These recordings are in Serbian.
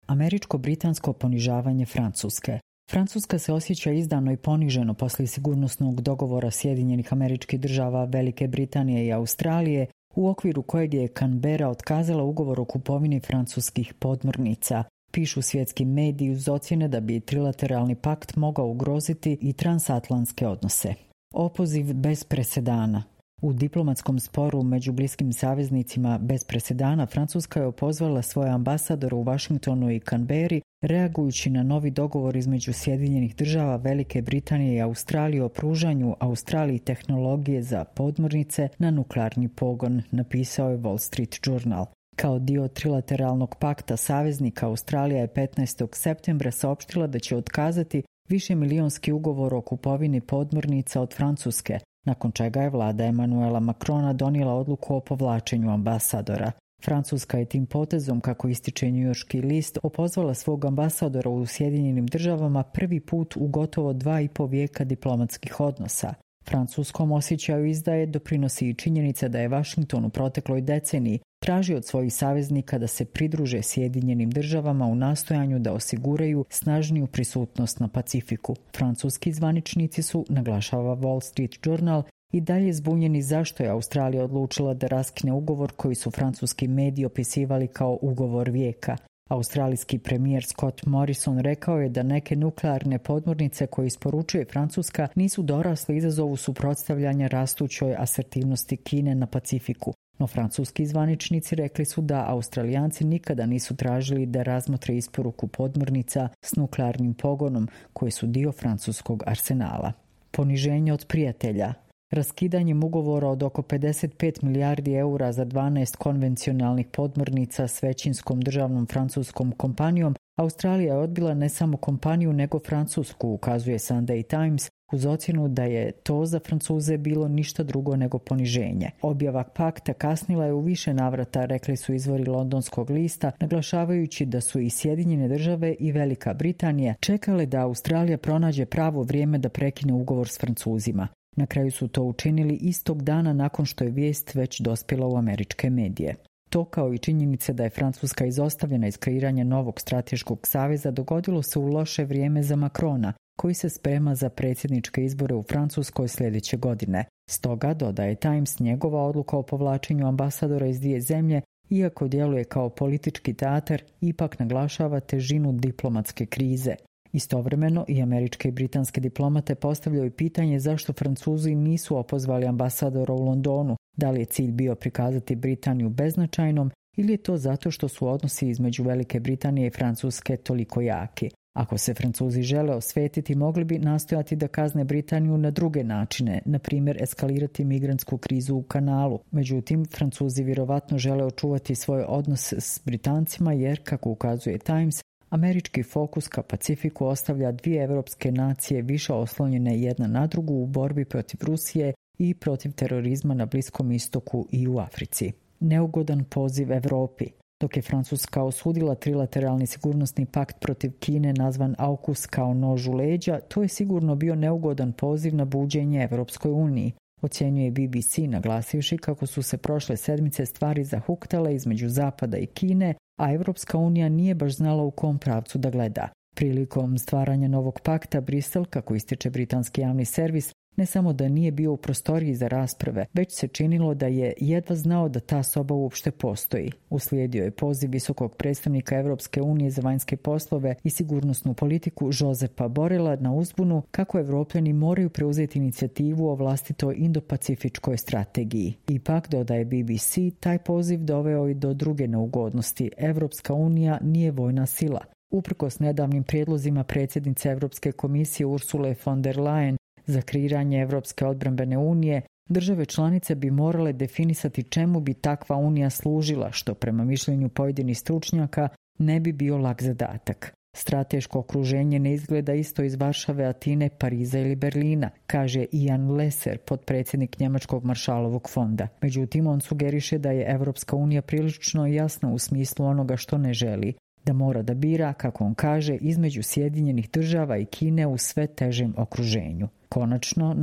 Američko-britansko ponižavanje Francuske. Francuska se osjeća izdano i poniženo poslije sigurnosnog dogovora Sjedinjenih Američkih Država, Velike Britanije i Australije, u okviru kojeg je Canberra otkazala ugovor o kupovini francuskih podmornica. Pišu svjetski mediji uz ocjene da bi trilateralni pakt mogao ugroziti i transatlantske odnose. Opoziv bez presedana. U diplomatskom sporu među bliskim saveznicima bez presedana Francuska je opozvala svoje ambasadore u Washingtonu i Canberri, reagujući na novi dogovor između Sjedinjenih Država, Velike Britanije i Australije o pružanju Australiji tehnologije za podmornice na nuklearni pogon, napisao je Wall Street Journal. Kao dio trilateralnog pakta saveznika, Australija je 15. septembra saopštila da će otkazati višemilijonski ugovor o kupovini podmornica od Francuske, nakon čega je vlada Emmanuela Macrona donijela odluku o povlačenju ambasadora. Francuska je tim potezom, kako ističe njujorški list, opozvala svog ambasadora u Sjedinjenim Državama prvi put u gotovo 2,5 vijeka diplomatskih odnosa. Francuskom osjećaju izdaje doprinosi i činjenica da je Washington u protekloj deceniji tražio od svojih saveznika da se pridruže Sjedinjenim Državama u nastojanju da osiguraju snažniju prisutnost na Pacifiku. Francuski zvaničnici su, naglašava Wall Street Journal, i dalje zbunjeni zašto je Australija odlučila da raskine ugovor koji su francuski mediji opisivali kao ugovor vijeka. Australijski premijer Scott Morrison rekao je da neke nuklearne podmornice koje isporučuje Francuska nisu dorasle izazovu suprotstavljanja rastućoj asertivnosti Kine na Pacifiku. No francuski zvaničnici rekli su da Australijanci nikada nisu tražili da razmotre isporuku podmornica s nuklearnim pogonom koje su dio francuskog arsenala. Poniženje od prijatelja. Raskidanjem ugovora od oko 55 milijardi eura za 12 konvencionalnih podmornica s većinskom državnom francuskom kompanijom, Australija je odbila ne samo kompaniju nego Francusku, ukazuje Sunday Times, uz ocjenu da je to za Francuze bilo ništa drugo nego poniženje. Objava pakta kasnila je u više navrata, rekli su izvori londonskog lista, naglašavajući da su i Sjedinjene Države i Velika Britanija čekale da Australija pronađe pravo vrijeme da prekine ugovor s Francuzima. Na kraju su to učinili istog dana nakon što je vijest već dospjela u američke medije. To, kao i činjenica da je Francuska izostavljena iz kreiranja novog strateškog saveza, dogodilo se u loše vrijeme za Macrona, koji se sprema za predsjedničke izbore u Francuskoj sljedeće godine. Stoga, dodaje Times, njegova odluka o povlačenju ambasadora iz dvije zemlje, iako djeluje kao politički teatar, ipak naglašava težinu diplomatske krize. Istovremeno i američke i britanske diplomate postavljaju pitanje zašto Francuzi nisu opozvali ambasadora u Londonu, da li je cilj bio prikazati Britaniju beznačajnom ili je to zato što su odnosi između Velike Britanije i Francuske toliko jaki. Ako se Francuzi žele osvetiti, mogli bi nastojati da kazne Britaniju na druge načine, na primjer eskalirati migrantsku krizu u kanalu. Međutim, Francuzi vjerovatno žele očuvati svoj odnos s Britancima jer, kako ukazuje Times, američki fokus ka Pacifiku ostavlja dvije evropske nacije više oslonjene jedna na drugu u borbi protiv Rusije i protiv terorizma na Bliskom istoku i u Africi. Neugodan poziv Europi. Dok je Francuska osudila trilateralni sigurnosni pakt protiv Kine nazvan AUKUS kao nož u leđa, to je sigurno bio neugodan poziv na buđenje Evropskoj uniji, ocjenjuje BBC, naglasivši kako su se prošle sedmice stvari zahuktale između Zapada i Kine, a Evropska unija nije baš znala u kom pravcu da gleda. Prilikom stvaranja novog pakta, Brisel, kako ističe britanski javni servis, ne samo da nije bio u prostoriji za rasprave, već se činilo da je jedva znao da ta soba uopšte postoji. Uslijedio je poziv visokog predstavnika Evropske unije za vanjske poslove i sigurnosnu politiku Josepa Borela na uzbunu kako Evropljani moraju preuzeti inicijativu o vlastitoj indopacifičkoj strategiji. Ipak, dodaje BBC, taj poziv doveo i do druge neugodnosti. Evropska unija nije vojna sila. Uprkos nedavnim prijedlozima predsjednice Europske komisije Ursule von der Leyen za kreiranje Evropske odbrambene unije, države članice bi morale definisati čemu bi takva unija služila, što prema mišljenju pojedinih stručnjaka ne bi bio lak zadatak. Strateško okruženje ne izgleda isto iz Varšave, Atine, Pariza ili Berlina, kaže Ian Lesser, potpredsjednik Njemačkog Maršalovog fonda. Međutim, on sugeriše da je Evropska unija prilično jasna u smislu onoga što ne želi, da mora da bira, kako on kaže, između Sjedinjenih Država i Kine u sve težem okruženju. Konačno,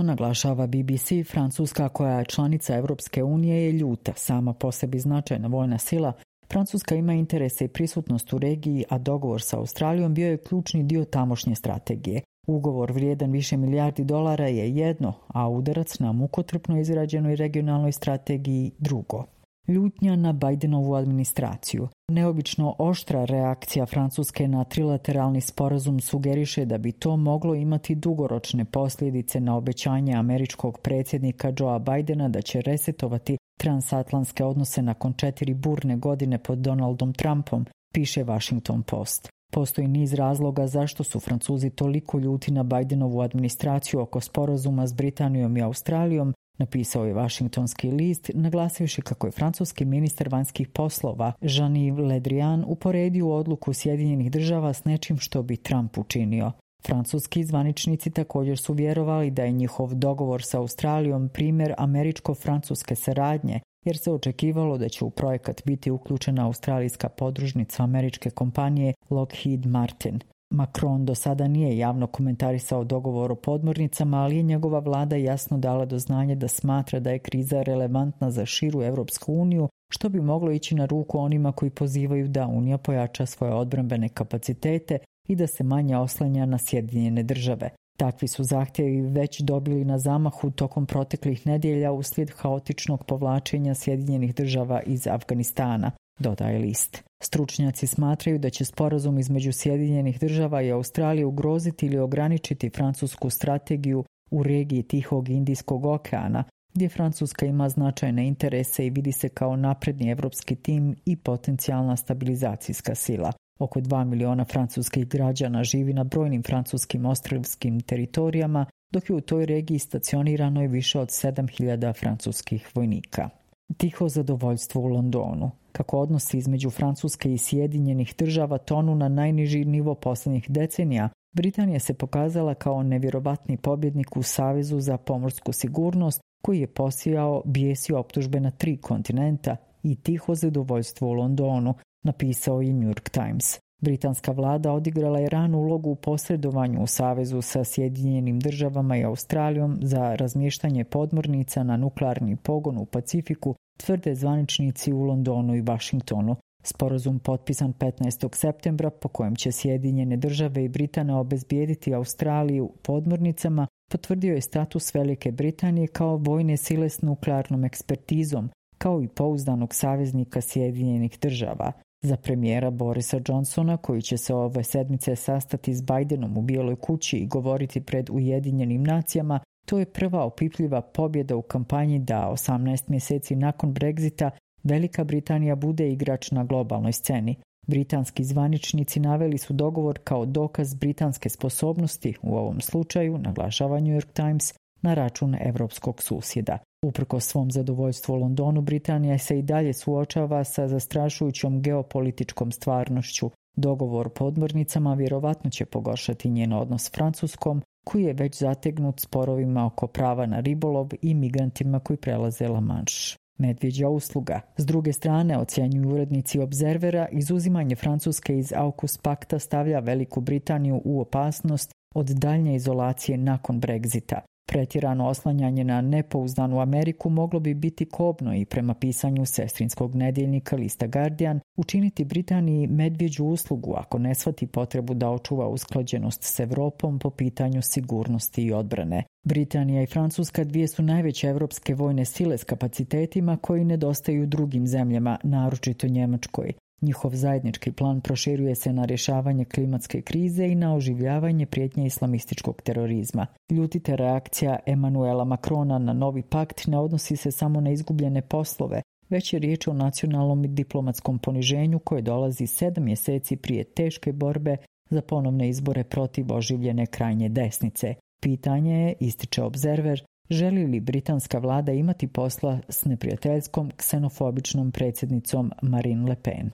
naglašava BBC, Francuska koja je članica Evropske unije je ljuta, sama po sebi značajna vojna sila, Francuska ima interese i prisutnost u regiji, a dogovor sa Australijom bio je ključni dio tamošnje strategije. Ugovor vrijedan više milijardi dolara je jedno, a udarac na mukotrpno izrađenoj regionalnoj strategiji drugo. Ljutnja na Bidenovu administraciju. Neobično oštra reakcija Francuske na trilateralni sporazum sugeriše da bi to moglo imati dugoročne posljedice na obećanje američkog predsjednika Joea Bidena da će resetovati transatlantske odnose nakon 4 burne godine pod Donaldom Trumpom, piše Washington Post. Postoji niz razloga zašto su Francuzi toliko ljuti na Bidenovu administraciju oko sporazuma s Britanijom i Australijom, napisao je Washingtonski list, naglasivši kako je francuski ministar vanjskih poslova Jean-Yves Le Drian uporedio odluku Sjedinjenih država s nečim što bi Trump učinio. Francuski zvaničnici također su vjerovali da je njihov dogovor sa Australijom primjer američko-francuske saradnje, jer se očekivalo da će u projekat biti uključena australijska podružnica američke kompanije Lockheed Martin. Macron do sada nije javno komentarisao dogovor o podmornicama, ali je njegova vlada jasno dala do znanja da smatra da je kriza relevantna za širu Europsku uniju, što bi moglo ići na ruku onima koji pozivaju da Unija pojača svoje odbrambene kapacitete i da se manje oslanja na Sjedinjene države. Takvi su zahtjevi već dobili na zamahu tokom proteklih nedjelja uslijed haotičnog povlačenja Sjedinjenih država iz Afganistana, dodaje list. Stručnjaci smatraju da će sporazum između Sjedinjenih država i Australije ugroziti ili ograničiti francusku strategiju u regiji Tihog i Indijskog okeana, gdje Francuska ima značajne interese i vidi se kao napredni evropski tim i potencijalna stabilizacijska sila. Oko 2 miliona francuskih građana živi na brojnim francuskim ostrvskim teritorijama, dok je u toj regiji stacionirano i više od 7.000 francuskih vojnika. Tiho zadovoljstvo u Londonu. Kako odnosi između Francuske i Sjedinjenih država tonu na najniži nivo posljednjih decenija, Britanija se pokazala kao nevjerovatni pobjednik u Savezu za pomorsku sigurnost koji je posijao bijes i optužbe na 3 kontinenta i tiho zadovoljstvo u Londonu, napisao je New York Times. Britanska vlada odigrala je ranu ulogu u posredovanju u savezu sa Sjedinjenim državama i Australijom za razmještanje podmornica na nuklearni pogon u Pacifiku, tvrde zvaničnici u Londonu i Washingtonu. Sporazum potpisan 15. septembra po kojem će Sjedinjene države i Britanija obezbijediti Australiju podmornicama, potvrdio je status Velike Britanije kao vojne sile s nuklearnom ekspertizom, kao i pouzdanog saveznika Sjedinjenih država. Za premijera Borisa Johnsona, koji će se ove sedmice sastati s Bidenom u Bijeloj kući i govoriti pred Ujedinjenim nacijama, to je prva opipljiva pobjeda u kampanji da 18 mjeseci nakon Brexita Velika Britanija bude igrač na globalnoj sceni. Britanski zvaničnici naveli su dogovor kao dokaz britanske sposobnosti, u ovom slučaju, naglašava New York Times, na račun evropskog susjeda. Uprkos svom zadovoljstvu u Londonu, Britanija se i dalje suočava sa zastrašujućom geopolitičkom stvarnošću. Dogovor o podmornicama vjerovatno će pogoršati njen odnos s Francuskom, koji je već zategnut sporovima oko prava na ribolov i migrantima koji prelaze La Manche. Medvjeđa usluga. S druge strane, ocjenjuju urednici Observera, izuzimanje Francuske iz AUKUS pakta stavlja Veliku Britaniju u opasnost od daljnje izolacije nakon Brexita. Pretjerano oslanjanje na nepouzdanu Ameriku moglo bi biti kobno i prema pisanju sestrinskog nedjeljnika lista Guardian učiniti Britaniji medvjeđu uslugu ako ne shvati potrebu da očuva usklađenost s Europom po pitanju sigurnosti i odbrane. Britanija i Francuska dvije su najveće evropske vojne sile s kapacitetima koji nedostaju drugim zemljama, naročito Njemačkoj. Njihov zajednički plan proširuje se na rješavanje klimatske krize i na oživljavanje prijetnje islamističkog terorizma. Ljutita reakcija Emmanuela Macrona na novi pakt ne odnosi se samo na izgubljene poslove, već je riječ o nacionalnom i diplomatskom poniženju koje dolazi 7 mjeseci prije teške borbe za ponovne izbore protiv oživljene krajnje desnice. Pitanje je, ističe Observer, želi li britanska vlada imati posla s neprijateljskom ksenofobičnom predsjednicom Marine Le Pen.